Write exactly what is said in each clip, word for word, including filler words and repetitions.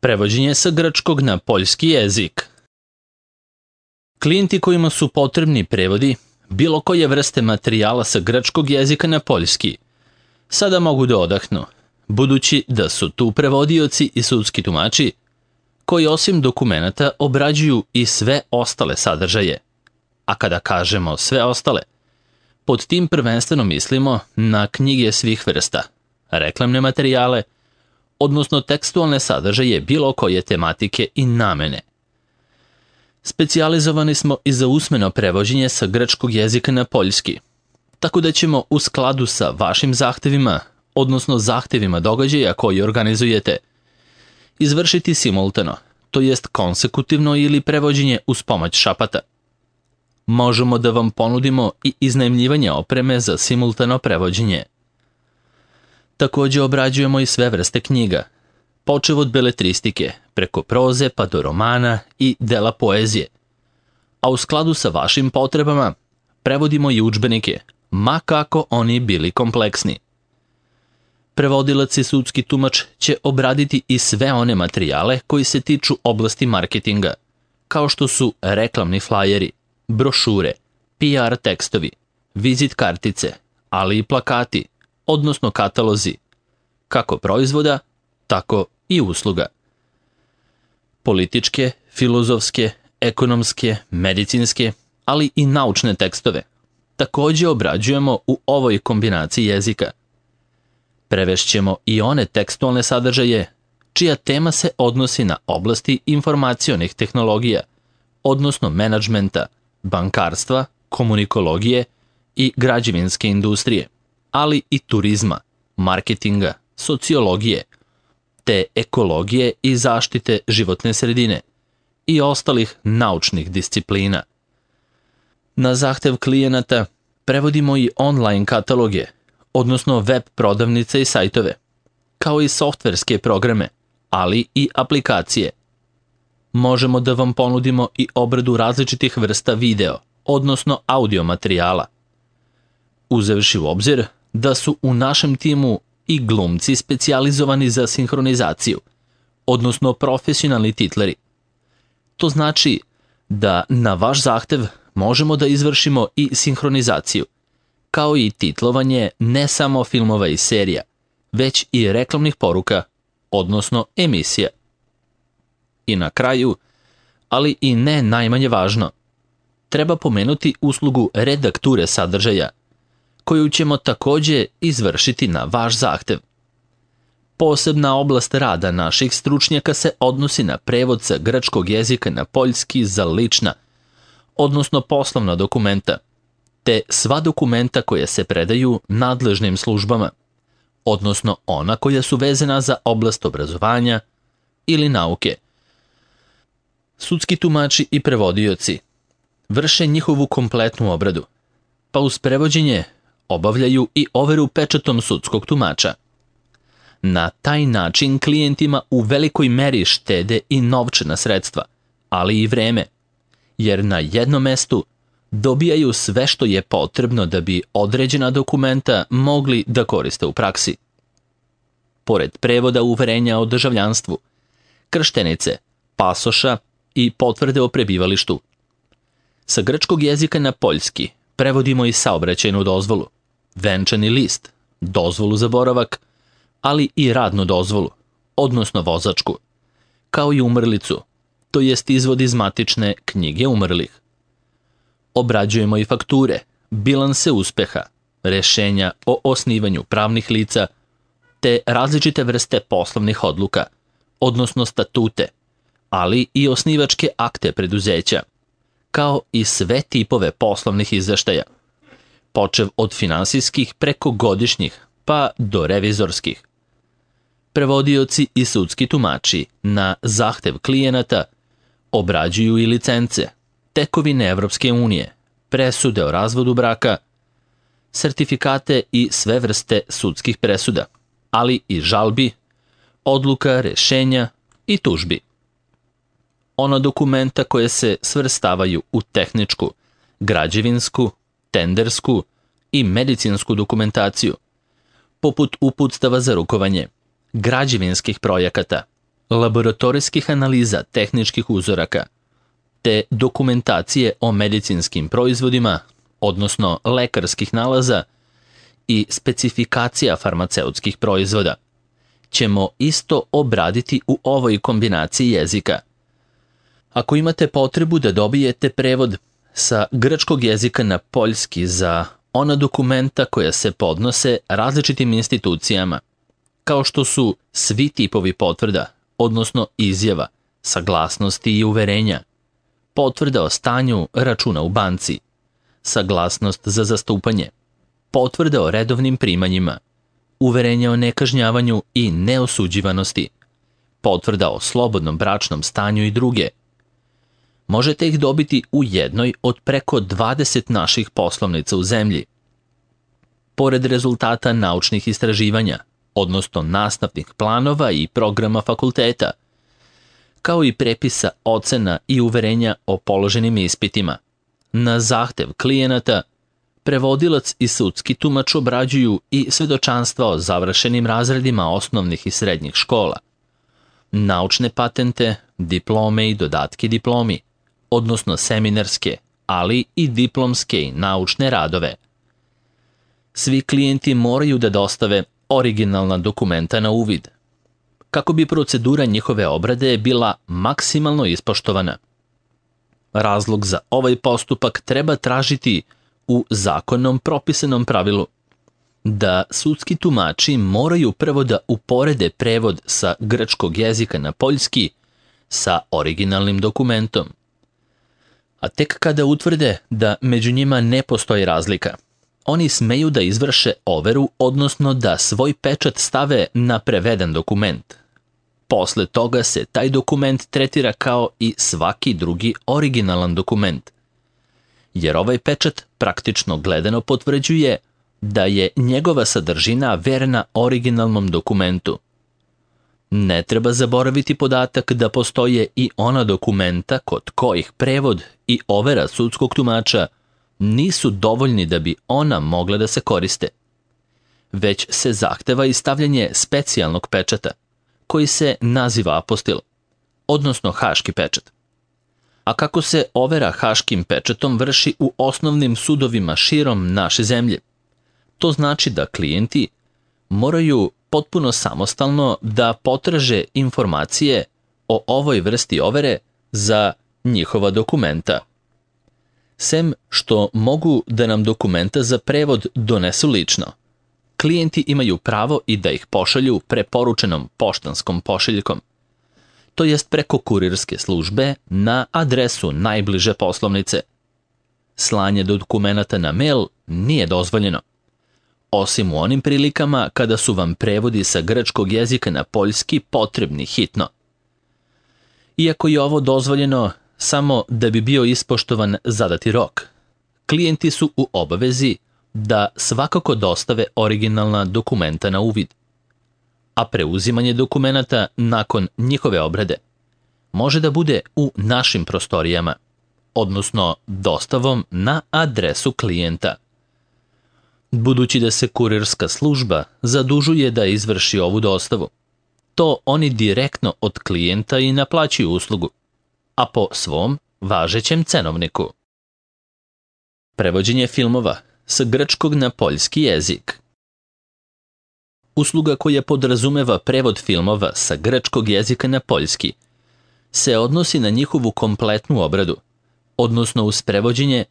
Prevođenje sa grčkog na poljski jezik. Klijenti kojima su potrebni prevodi bilo koje vrste materijala sa grčkog jezika na poljski sada mogu da odahnu, budući da su tu prevodioci i sudski tumači koji osim dokumenata obrađuju i sve ostale sadržaje. A kada kažemo sve ostale, pod tim prvenstveno mislimo na knjige svih vrsta, reklamne materijale, odnosno tekstualne sadržaje bilo koje tematike i namene. Specijalizovani smo i za usmeno prevođenje sa grčkog jezika na poljski, tako da ćemo u skladu sa vašim zahtevima, odnosno zahtevima događaja koji organizujete, izvršiti simultano, to jest konsekutivno ili prevođenje uz pomoć šapata. Možemo da vam ponudimo i iznajmljivanje opreme za simultano prevođenje. Također obrađujemo i sve vrste knjiga, počev od beletristike, preko proze pa do romana i dela poezije. A u skladu sa vašim potrebama prevodimo i udžbenike, ma kako oni bili kompleksni. Prevodilac i sudski tumač će obraditi i sve one materijale koji se tiču oblasti marketinga, kao što su reklamni flajeri, brošure, P R tekstovi, vizit kartice, ali i plakati, odnosno katalozi, kako proizvoda, tako i usluga. Političke, filozofske, ekonomske, medicinske, ali i naučne tekstove također obrađujemo u ovoj kombinaciji jezika. Prevešćemo i one tekstualne sadržaje čija tema se odnosi na oblasti informacionih tehnologija, odnosno menadžmenta, bankarstva, komunikologije i građevinske industrije, ali i turizma, marketinga, sociologije, te ekologije i zaštite životne sredine i ostalih naučnih disciplina. Na zahtev klijenata prevodimo i online kataloge, odnosno web prodavnice i sajtove, kao i softverske programe, ali i aplikacije. Možemo da vam ponudimo i obradu različitih vrsta video, odnosno audio materijala. Uzevši u obzir da su u našem timu i glumci specijalizovani za sinhronizaciju, odnosno profesionalni titleri. To znači da na vaš zahtev možemo da izvršimo i sinhronizaciju, kao i titlovanje ne samo filmova i serija, već i reklamnih poruka, odnosno emisija. I na kraju, ali i ne najmanje važno, treba pomenuti uslugu redakture sadržaja, koju ćemo također izvršiti na vaš zahtev. Posebna oblast rada naših stručnjaka se odnosi na prevod sa grčkog jezika na poljski za lična, odnosno poslovna dokumenta, te sva dokumenta koja se predaju nadležnim službama, odnosno ona koja su vezana za oblast obrazovanja ili nauke. Sudski tumači i prevodioci vrše njihovu kompletnu obradu, pa uz prevođenje obavljaju i overu pečatom sudskog tumača. Na taj način klijentima u velikoj meri štede i novčana sredstva, ali i vreme, jer na jednom mestu dobijaju sve što je potrebno da bi određena dokumenta mogli da koriste u praksi. Pored prevoda uverenja o državljanstvu, krštenice, pasoša i potvrde o prebivalištu. Sa grčkog jezika na poljski prevodimo i saobraćajnu dozvolu, venčani list, dozvolu za boravak, ali i radnu dozvolu, odnosno vozačku, kao i umrlicu, to jest izvod iz matične knjige umrlih. Obrađujemo i fakture, bilanse uspeha, rešenja o osnivanju pravnih lica, te različite vrste poslovnih odluka, odnosno statute, ali i osnivačke akte preduzeća, kao i sve tipove poslovnih izveštaja, počev od finansijskih preko godišnjih pa do revizorskih. Prevodioci i sudski tumači na zahtev klijenata obrađuju i licence, tekovine Evropske unije, presude o razvodu braka, sertifikate i sve vrste sudskih presuda, ali i žalbi, odluka, rešenja i tužbi. Ona dokumenta koje se svrstavaju u tehničku, građevinsku, tendersku i medicinsku dokumentaciju, poput uputstava za rukovanje, građevinskih projekata, laboratorijskih analiza tehničkih uzoraka, te dokumentacije o medicinskim proizvodima, odnosno lekarskih nalaza i specifikacija farmaceutskih proizvoda, ćemo isto obraditi u ovoj kombinaciji jezika. Ako imate potrebu da dobijete prevod sa grčkog jezika na poljski za ona dokumenta koja se podnose različitim institucijama, kao što su svi tipovi potvrda, odnosno izjava, saglasnosti i uverenja, potvrda o stanju računa u banci, saglasnost za zastupanje, potvrda o redovnim primanjima, uverenje o nekažnjavanju i neosuđivanosti, potvrda o slobodnom bračnom stanju i druge. Možete ih dobiti u jednoj od preko dvadeset naših poslovnica u zemlji. Pored rezultata naučnih istraživanja, odnosno nastavnih planova i programa fakulteta, kao i prepisa ocena i uverenja o položenim ispitima, na zahtev klijenata, prevodilac i sudski tumač obrađuju i svedočanstva o završenim razredima osnovnih i srednjih škola, naučne patente, diplome i dodatke diplomi, odnosno seminarske, ali i diplomske i naučne radove. Svi klijenti moraju da dostave originalna dokumenta na uvid, kako bi procedura njihove obrade bila maksimalno ispoštovana. Razlog za ovaj postupak treba tražiti u zakonom propisanom pravilu da sudski tumači moraju prvo da uporede prevod sa grčkog jezika na poljski sa originalnim dokumentom. A tek kada utvrde da među njima ne postoji razlika, oni smeju da izvrše overu, odnosno da svoj pečat stave na preveden dokument. Posle toga se taj dokument tretira kao i svaki drugi originalan dokument, jer ovaj pečat praktično gledano potvrđuje da je njegova sadržina verna originalnom dokumentu. Ne treba zaboraviti podatak da postoje i ona dokumenta kod kojih prevod i overa sudskog tumača nisu dovoljni da bi ona mogla da se koriste, već se zahteva i stavljanje specijalnog pečata, koji se naziva apostil, odnosno haški pečat. A kako se overa haškim pečatom vrši u osnovnim sudovima širom naše zemlje, to znači da klijenti moraju potpuno samostalno da potraže informacije o ovoj vrsti overe za njihova dokumenta. Sem što mogu da nam dokumenta za prevod donesu lično, klijenti imaju pravo i da ih pošalju preporučenom poštanskom pošiljkom, to jest preko kurirske službe na adresu najbliže poslovnice. Slanje dokumenata na mail nije dozvoljeno, osim u onim prilikama kada su vam prevodi sa grčkog jezika na poljski potrebni hitno. Iako je ovo dozvoljeno samo da bi bio ispoštovan zadati rok, klijenti su u obavezi da svakako dostave originalna dokumenta na uvid, a preuzimanje dokumenata nakon njihove obrade može da bude u našim prostorijama, odnosno dostavom na adresu klijenta. Budući da se kurirska služba zadužuje da izvrši ovu dostavu, to oni direktno od klijenta i naplaćuju uslugu, a po svom važećem cenovniku. Prevođenje filmova sa grčkog na poljski jezik. Usluga koja podrazumeva prevod filmova sa grčkog jezika na poljski se odnosi na njihovu kompletnu obradu, odnosno uz prevođenje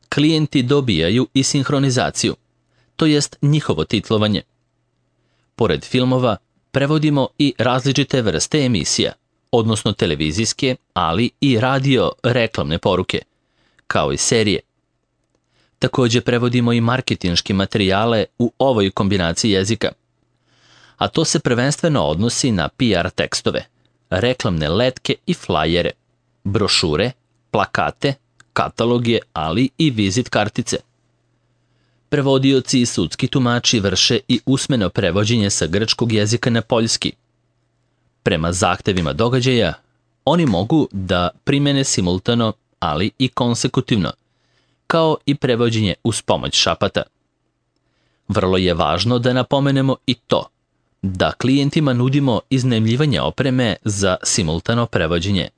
klijenti dobijaju i sinhronizaciju, to jest njihovo titlovanje. Pored filmova prevodimo i različite vrste emisija, odnosno televizijske, ali i radio reklamne poruke, kao i serije. Takođe prevodimo i marketinške materijale u ovoj kombinaciji jezika, a to se prvenstveno odnosi na P R tekstove, reklamne letke i flajere, brošure, plakate, kataloge, ali i vizit kartice. Prevodioci i sudski tumači vrše i usmeno prevođenje sa grčkog jezika na poljski. Prema zahtevima događaja, oni mogu da primene simultano, ali i konsekutivno, kao i prevođenje uz pomoć šapata. Vrlo je važno da napomenemo i to da klijentima nudimo iznajmljivanje opreme za simultano prevođenje.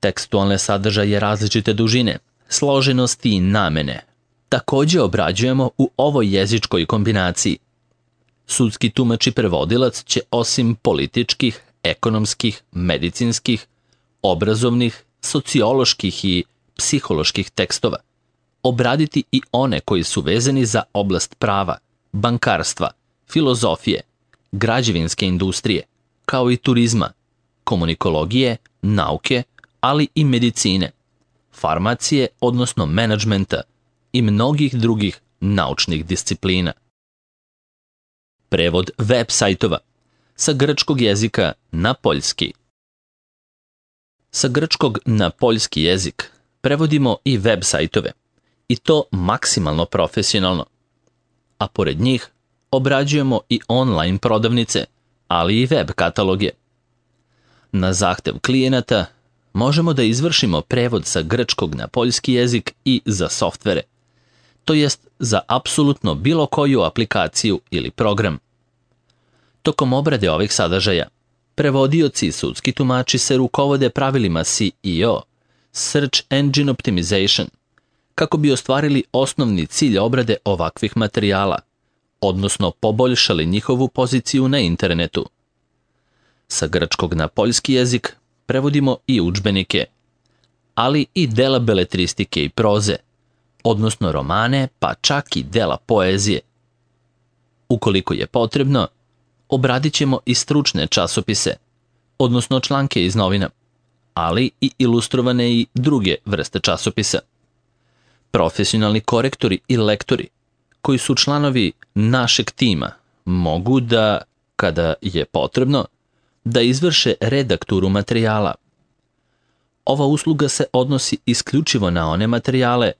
Tekstualne sadržaje različite dužine, složenosti i namene također obrađujemo u ovoj jezičkoj kombinaciji. Sudski tumač i prevodilac će osim političkih, ekonomskih, medicinskih, obrazovnih, socioloških i psiholoških tekstova obraditi i one koji su vezani za oblast prava, bankarstva, filozofije, građevinske industrije, kao i turizma, komunikologije, nauke, ali i medicine, farmacije, odnosno menadžmenta i mnogih drugih naučnih disciplina. Prevod web sajtova sa grčkog jezika na poljski. Sa grčkog na poljski jezik prevodimo i web sajtove, i to maksimalno profesionalno. A pored njih obrađujemo i online prodavnice, ali i web kataloge. Na zahtev klijenata možemo da izvršimo prevod sa grčkog na poljski jezik i za softvere, to jest za apsolutno bilo koju aplikaciju ili program. Tokom obrade ovih sadržaja, prevodioci i sudski tumači se rukovode pravilima S E O, Search Engine Optimization, kako bi ostvarili osnovni cilj obrade ovakvih materijala, odnosno poboljšali njihovu poziciju na internetu. Sa grčkog na poljski jezik prevodimo i udžbenike, ali i dela beletristike i proze, odnosno romane, pa čak i dela poezije. Ukoliko je potrebno, obradit ćemo i stručne časopise, odnosno članke iz novina, ali i ilustrovane i druge vrste časopisa. Profesionalni korektori i lektori, koji su članovi našeg tima, mogu da, kada je potrebno, da izvrše redakturu materijala. Ova usluga se odnosi isključivo na one materijale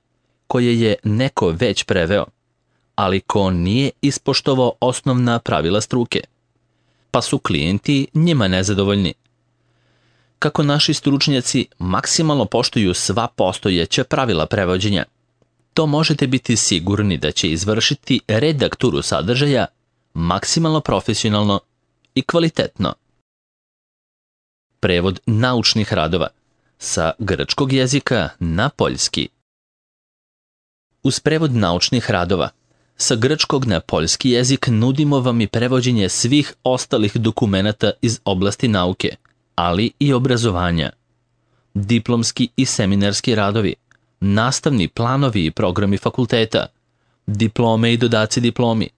koje je neko već preveo, ali ko nije ispoštovao osnovna pravila struke, pa su klijenti njima nezadovoljni. Kako naši stručnjaci maksimalno poštuju sva postojeća pravila prevođenja, to možete biti sigurni da će izvršiti redakturu sadržaja maksimalno profesionalno i kvalitetno. Prevod naučnih radova sa grčkog jezika na poljski. Uz prevod naučnih radova sa grčkog na poljski jezik nudimo vam i prevođenje svih ostalih dokumenata iz oblasti nauke, ali i obrazovanja. Diplomski i seminarski radovi, nastavni planovi i programi fakulteta, diplome i dodaci diplomi,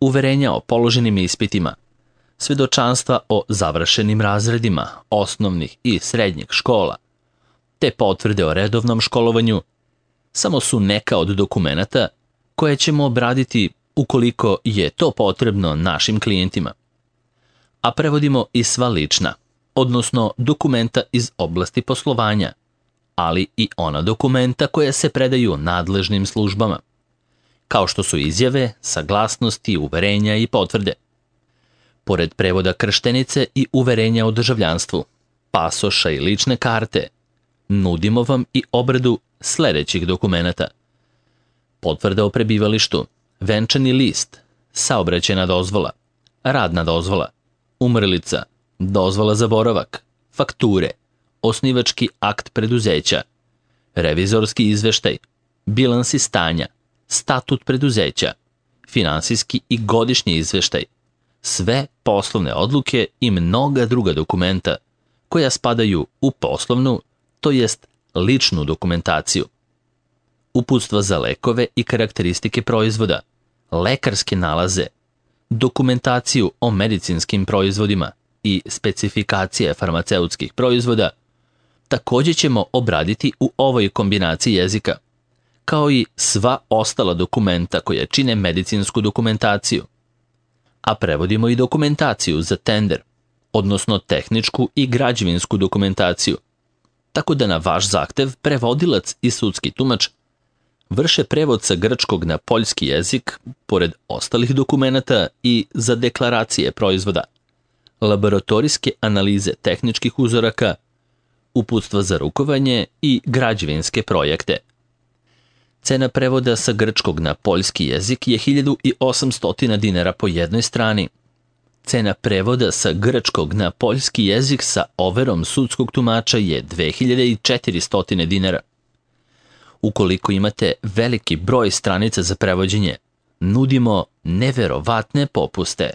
uverenja o položenim ispitima, svedočanstva o završenim razredima osnovnih i srednjih škola, te potvrde o redovnom školovanju, samo su neka od dokumenata koje ćemo obraditi ukoliko je to potrebno našim klijentima. A prevodimo i sva lična, odnosno dokumenta iz oblasti poslovanja, ali i ona dokumenta koja se predaju nadležnim službama, kao što su izjave, saglasnosti, uverenja i potvrde. Pored prevoda krštenice i uverenja o državljanstvu, pasoša i lične karte, nudimo vam i obradu sljedećih dokumenata: potvrda o prebivalištu, venčani list, saobraćajna dozvola, radna dozvola, umrlica, dozvola za boravak, fakture, osnivački akt preduzeća, revizorski izveštaj, bilansi stanja, statut preduzeća, finansijski i godišnji izveštaj, sve poslovne odluke i mnoga druga dokumenta koja spadaju u poslovnu, to jest ličnu dokumentaciju. Uputstva za lekove i karakteristike proizvoda, lekarske nalaze, dokumentaciju o medicinskim proizvodima i specifikacije farmaceutskih proizvoda također ćemo obraditi u ovoj kombinaciji jezika, kao i sva ostala dokumenta koja čine medicinsku dokumentaciju. A prevodimo i dokumentaciju za tender, odnosno tehničku i građevinsku dokumentaciju, tako da na vaš zahtev prevodilac i sudski tumač vrše prevod sa grčkog na poljski jezik, pored ostalih dokumenata i za deklaracije proizvoda, laboratorijske analize tehničkih uzoraka, uputstva za rukovanje i građevinske projekte. Cena prevoda sa grčkog na poljski jezik je hiljadu osamsto dinara po jednoj strani, Cena prevoda sa grčkog na poljski jezik sa overom sudskog tumača je dve hiljade četiristo dinara. Ukoliko imate veliki broj stranica za prevođenje, nudimo neverovatne popuste.